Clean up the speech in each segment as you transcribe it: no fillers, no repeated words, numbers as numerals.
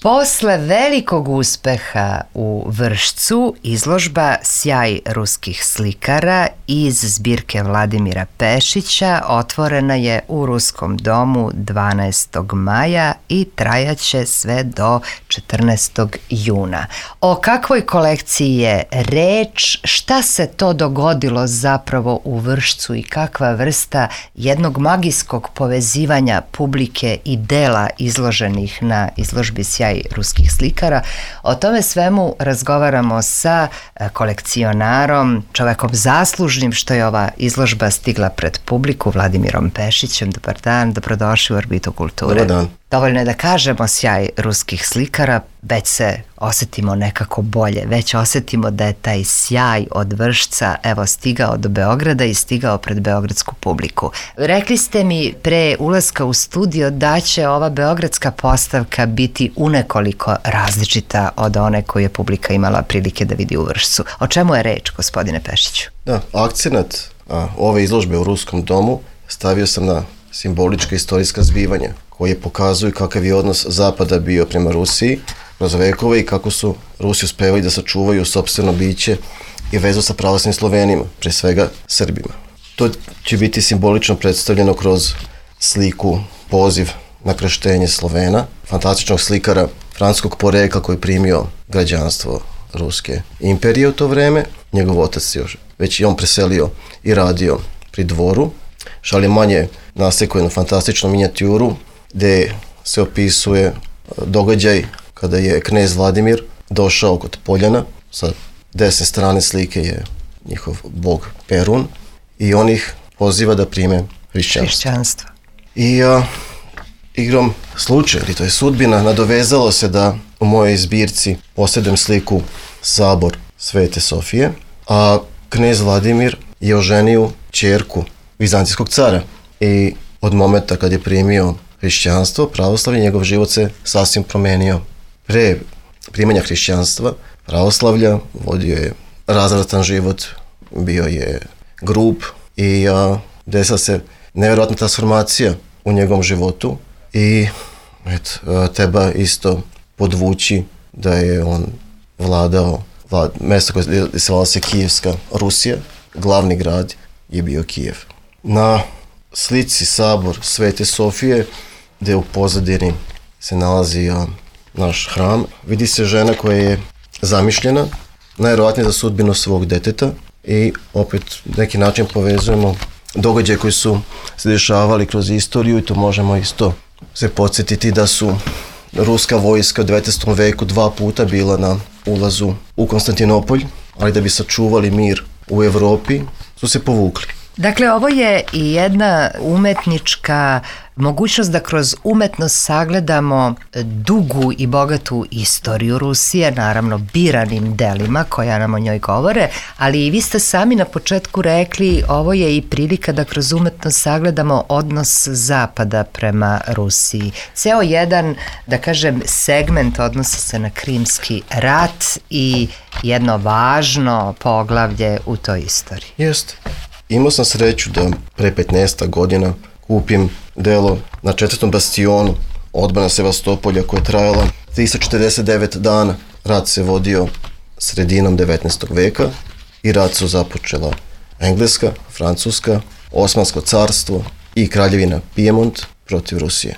Posle velikog uspeha u Vršcu, izložba Sjaj ruskih slikara iz zbirke Vladimira Pešića otvorena je u Ruskom domu 12. maja i trajaće sve do 14. juna. O kakvoj kolekciji je reč, šta se to dogodilo zapravo u Vršcu i kakva vrsta jednog magijskog povezivanja publike i dela izloženih na izložbi Sjaj ruskih slikara. O tome svemu razgovaramo sa kolekcionarom, čovekom zaslužnim što je ova izložba stigla pred publiku, Vladimirom Pešićem. Dobar dan, dobrodošli u Orbitu kulture. Dobar dan. Dovoljno je da kažemo Sjaj ruskih slikara, već se osetimo nekako bolje, već osetimo da je taj sjaj od Vršca evo stigao do Beograda i stigao pred beogradsku publiku. Rekli ste mi pre ulaska u studio da će ova beogradska postavka biti unekoliko različita od one koju je publika imala prilike da vidi u Vršcu. O čemu je reč, gospodine Pešiću? Da, akcenat ove izložbe u Ruskom domu stavio sam na simbolička istorijska zbivanja koje pokazuju kakav je odnos Zapada bio prema Rusiji kroz vekove i kako su Rusi uspevali da sačuvaju sopstveno biće i vezu sa pravoslavnim Slovenima, pre svega Srbima. To će biti simbolično predstavljeno kroz sliku Poziv na krštenje Slovena, fantastičnog slikara francuskog porekla koji je primio građanstvo Ruske imperije u to vreme. Njegov otac još već i on preselio i radio pri dvoru. Šalimanje nasekao jednu fantastičnu minijaturu gde se opisuje događaj kada je knez Vladimir došao kod Poljana. Sa desne strane slike je njihov bog Perun i on ih poziva da prime hrišćanstvo. I igrom slučaja, ili to je sudbina, nadovezalo se da u mojoj zbirci posjedujem sliku Sabor Svete Sofije, a knez Vladimir je oženio ćerku vizantijskog cara i od momenta kad je primio hrišćanstvo, pravoslavlje, njegov život se sasvim promenio. Pre primanja hrišćanstva, pravoslavlja, vodio je razvratan život, bio je grub i desila se nevjerojatna transformacija u njegovom životu i treba isto podvući da je on vladao mesto koje se zvala se Kijevska Rusija, glavni grad je bio Kijev. Na slici Sabor Svete Sofije, gde u pozadini se nalazi naš hram, vidi se žena koja je zamišljena, najvjerojatnije za sudbinu svog deteta i opet neki način povezujemo događaje koji su se dešavali kroz istoriju i to možemo isto se podsjetiti da su ruska vojska u 19. veku 2 puta bila na ulazu u Konstantinopolj, ali da bi sačuvali mir u Evropi su se povukli. Dakle, ovo je i jedna umetnička mogućnost da kroz umetnost sagledamo dugu i bogatu istoriju Rusije, naravno biranim delima koja nam o njoj govore, ali i vi ste sami na početku rekli ovo je i prilika da kroz umetnost sagledamo odnos Zapada prema Rusiji. Ceo jedan, da kažem, segment odnosi se na Krimski rat i jedno važno poglavlje u toj istoriji. Jeste. Imao sam sreću da pre 15 godina kupim delo na 4. bastionu odbrana Sevastopolja koja je trajala 349 dana. Rat se vodio sredinom 19. veka i rat su započela Engleska, Francuska, Osmansko carstvo i kraljevina Pijemont protiv Rusije.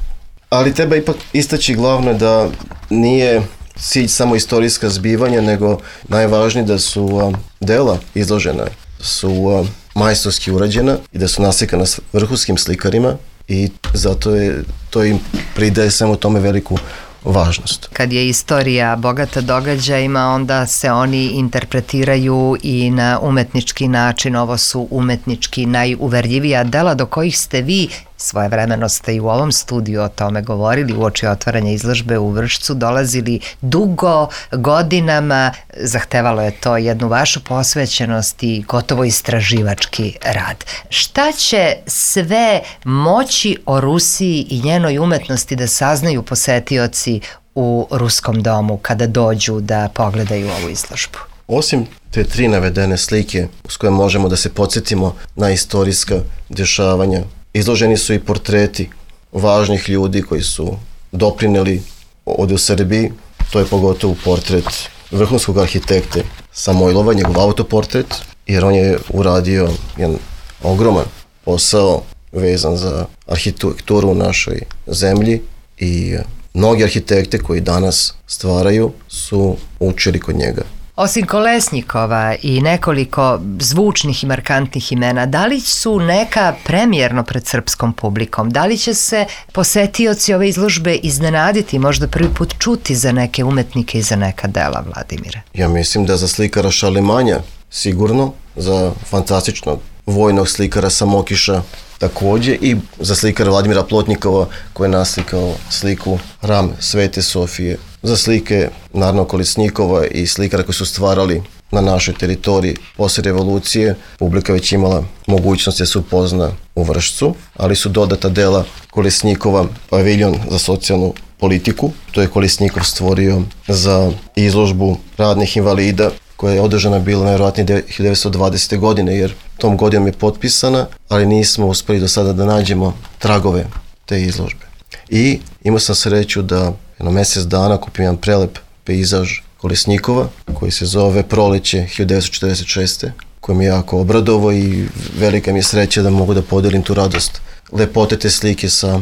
Ali treba ipak istaći glavno da nije cilj samo istorijska zbivanja, nego najvažnije da su dela izložena su majstorski urađena i da su nasekana s vrhunskim slikarima i zato je to im pridaje samo tome veliku važnost. Kad je istorija bogata događajima, onda se oni interpretiraju i na umetnički način. Ovo su umetnički najuverljivija dela do kojih ste vi, svojevremeno ste i u ovom studiju o tome govorili, uoči otvaranja izložbe u Vršcu, dolazili dugo, godinama, zahtevalo je to jednu vašu posvećenost i gotovo istraživački rad. Šta će sve moći o Rusiji i njenoj umetnosti da saznaju posetioci u Ruskom domu kada dođu da pogledaju ovu izložbu? Osim te 3 navedene slike s koje možemo da se podsjetimo na istorijska dešavanja, izloženi su i portreti važnih ljudi koji su doprineli ovdje u Srbiji, to je pogotovo portret vrhunskog arhitekte Samojlova, njegov autoportret, jer on je uradio jedan ogroman posao vezan za arhitekturu u našoj zemlji i mnogi arhitekte koji danas stvaraju su učili kod njega. Osim Kolesnikova i nekoliko zvučnih i markantnih imena, da li su neka premijerno pred srpskom publikom? Da li će se posetioci ove izložbe iznenaditi, možda prvi put čuti za neke umetnike i za neka dela, Vladimire? Ja mislim da za slikara Šarlemanja sigurno, za fantastičnog vojnog slikara Samokiša također i za slikara Vladimira Plotnikova koji je naslikao sliku Hram Svete Sofije, za slike naravno Kolesnikova i slikara koji su stvarali na našoj teritoriji poslije revolucije. Publika već imala mogućnost da se upozna u Vršcu, ali su dodata dela Kolesnikova paviljon za socijalnu politiku. To je Kolesnikov stvorio za izložbu radnih invalida koja je održana bila najvjerojatnije 1920. godine, jer tom godinom je potpisana, ali nismo uspjeli do sada da nađemo tragove te izložbe. I imao sam sreću da jedno mjesec dana kupim jedan prelep pejzaž Kolesnikova koji se zove Proleće 1946. koji mi je jako obradovao i velika mi je sreća da mogu da podijelim tu radost lepote te slike sa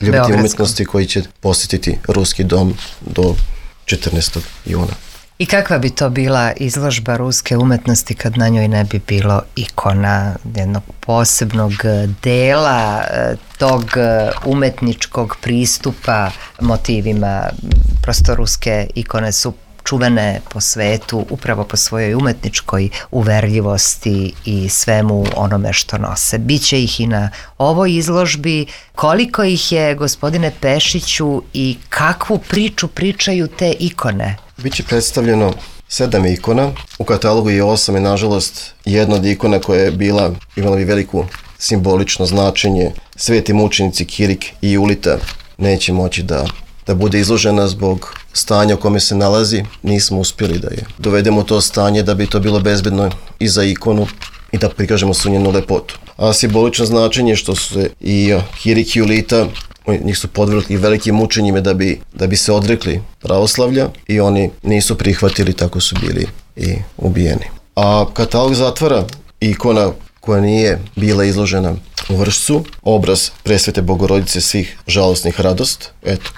ljubiteljem umjetnosti koji će posjetiti Ruski dom do 14. juna. I kakva bi to bila izložba ruske umetnosti kad na njoj ne bi bilo ikona jednog posebnog dela tog umetničkog pristupa motivima? Prosto ruske ikone su čuvene po svetu upravo po svojoj umetničkoj uverljivosti i svemu onome što nose. Biće ih i na ovoj izložbi. Koliko ih je, gospodine Pešiću, i kakvu priču pričaju te ikone? Biće predstavljeno 7 ikona, u katalogu je 8 i nažalost jedna od ikona koja je imala bi veliko simbolično značenje. Sveti mučenici Kirik i Julita neće moći da bude izložena zbog stanja u kome se nalazi. Nismo uspjeli da je dovedemo to stanje da bi to bilo bezbedno i za ikonu i da prikažemo su njenu lepotu. A simbolično značenje što su se i Kirik i Julita, njih su podvrgli velikim mučenjima da bi se odrekli pravoslavlja i oni nisu prihvatili, tako su bili i ubijeni. A katalog zatvara ikona koja nije bila izložena u Vršcu, obraz Presvete Bogorodice svih žalosnih radost,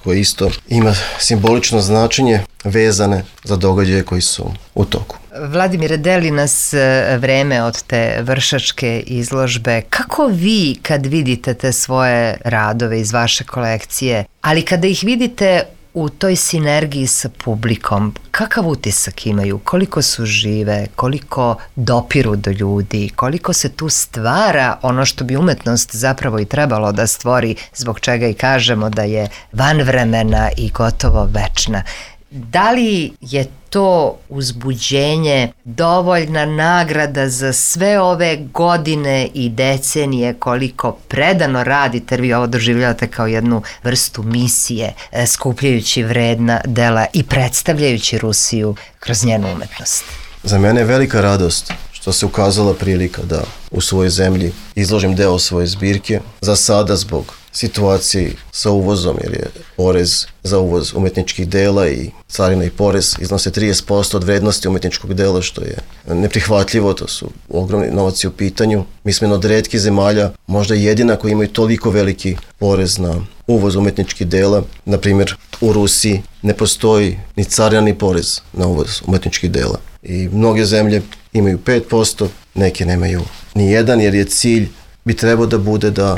koja isto ima simbolično značenje vezane za događaje koji su u toku. Vladimire, deli nas vreme od te vršačke izložbe. Kako vi kad vidite te svoje radove iz vaše kolekcije, ali kada ih vidite u toj sinergiji sa publikom, kakav utisak imaju, koliko su žive, koliko dopiru do ljudi, koliko se tu stvara ono što bi umetnost zapravo i trebalo da stvori, zbog čega i kažemo da je vanvremena i gotovo večna. Da li je to uzbuđenje dovoljna nagrada za sve ove godine i decenije koliko predano radite, jer vi ovo doživljavate kao jednu vrstu misije, skupljajući vredna dela i predstavljajući Rusiju kroz njenu umetnost? Za mene je velika radost što se ukazala prilika da u svojoj zemlji izložim deo svoje zbirke. Za sada zbog situacije sa uvozom, jer je porez za uvoz umetničkih dela i carina i porez iznose 30% od vrednosti umetničkog dela, što je neprihvatljivo, to su ogromni novaci u pitanju. Mi smo jedna od retkih zemalja, možda jedina koji imaju toliko veliki porez na uvoz umetničkih dela. Na primjer, u Rusiji ne postoji ni carina ni porez na uvoz umetničkih dela. I mnoge zemlje imaju 5%, neke nemaju ni jedan, jer je cilj bi trebao da bude da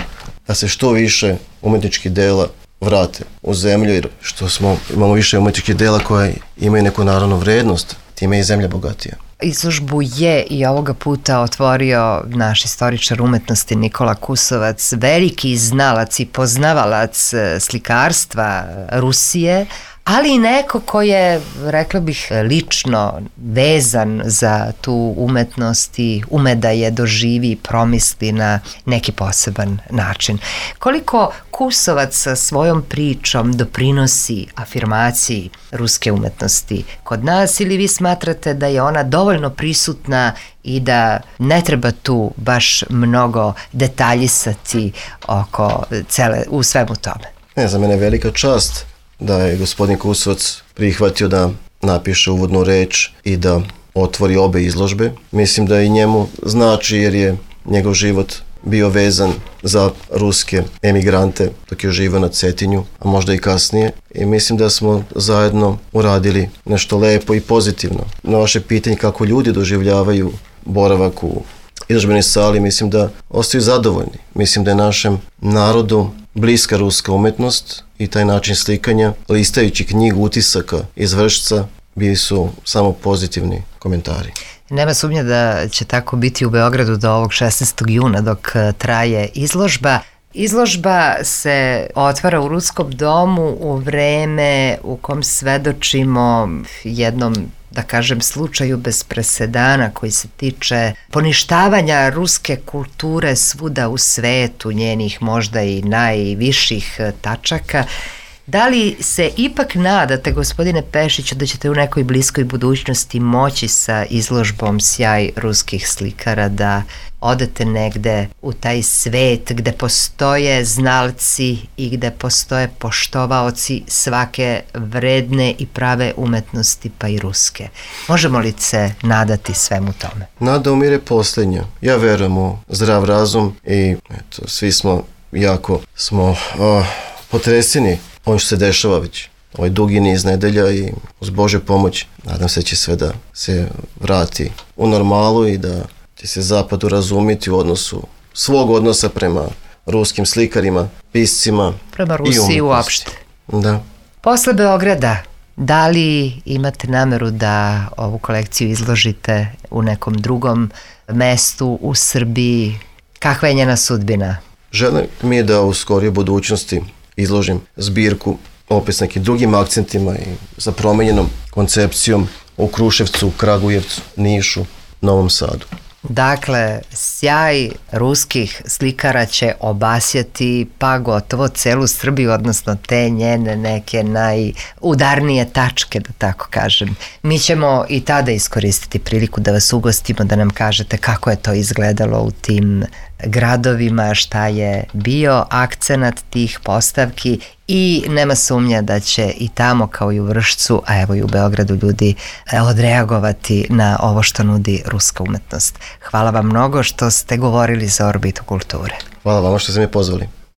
se što više umetničkih dela vrate u zemlju, jer imamo više umetničkih dela koje imaju neku naravnu vrednost, time je i zemlja bogatija. Izložbu je i ovoga puta otvorio naš istoričar umetnosti Nikola Kusovac, veliki znalac i poznavalac slikarstva Rusije, ali i neko ko je, rekla bih, lično vezan za tu umetnost i ume da je doživi i promisli na neki poseban način. Koliko Kusovac sa svojom pričom doprinosi afirmaciji ruske umetnosti kod nas, ili vi smatrate da je ona dovoljno prisutna i da ne treba tu baš mnogo detaljisati u svemu tome? Za mene je velika čast da je gospodin Kusovac prihvatio da napiše uvodnu reč i da otvori obe izložbe. Mislim da i njemu znači jer je njegov život bio vezan za ruske emigrante dok je živio na Cetinju, a možda i kasnije. I mislim da smo zajedno uradili nešto lepo i pozitivno. Na vaše pitanje kako ljudi doživljavaju boravak u izložbenoj sali, mislim da ostaju zadovoljni. Mislim da je našem narodu bliska ruska umetnost i taj način slikanja, listajući knjigu utisaka iz Vršca, bili su samo pozitivni komentari. Nema sumnje da će tako biti u Beogradu do ovog 16. juna dok traje izložba. Izložba se otvara u Ruskom domu u vreme u kom svedočimo jednom, da kažem, slučaju bez presedana koji se tiče poništavanja ruske kulture svuda u svetu, njenih možda i najviših tačaka. Da li se ipak nadate, gospodine Pešiću, da ćete u nekoj bliskoj budućnosti moći sa izložbom Sjaj ruskih slikara da odete negde u taj svet gde postoje znalci i gde postoje poštovaoci svake vredne i prave umetnosti, pa i ruske? Možemo li se nadati svemu tome? Nada umire posljednja. Ja verujem u zdrav razum i svi smo jako potreseni ono što se dešava već ovaj dugi niz nedelja i uz Božju pomoć nadam se će sve da se vrati u normalu i da će se Zapad urazumiti u odnosu svog odnosa prema ruskim slikarima, piscima prema Rusiji uopšte. Da. Posle Beograda, da li imate nameru da ovu kolekciju izložite u nekom drugom mestu u Srbiji? Kakva je njena sudbina? Želim mi je da u skorijoj budućnosti izložim zbirku opet s nekim drugim akcentima i sa promenjenom koncepcijom u Kruševcu, Kragujevcu, Nišu, Novom Sadu. Dakle, sjaj ruskih slikara će obasjati pa gotovo celu Srbiju, odnosno te njene neke najudarnije tačke, da tako kažem. Mi ćemo i tada iskoristiti priliku da vas ugostimo, da nam kažete kako je to izgledalo u tim gradovima, šta je bio akcenat tih postavki i nema sumnja da će i tamo kao i u Vršcu, a evo i u Beogradu ljudi odreagovati na ovo što nudi ruska umetnost. Hvala vam mnogo što ste govorili za Orbitu kulture. Hvala vama što ste me pozvali.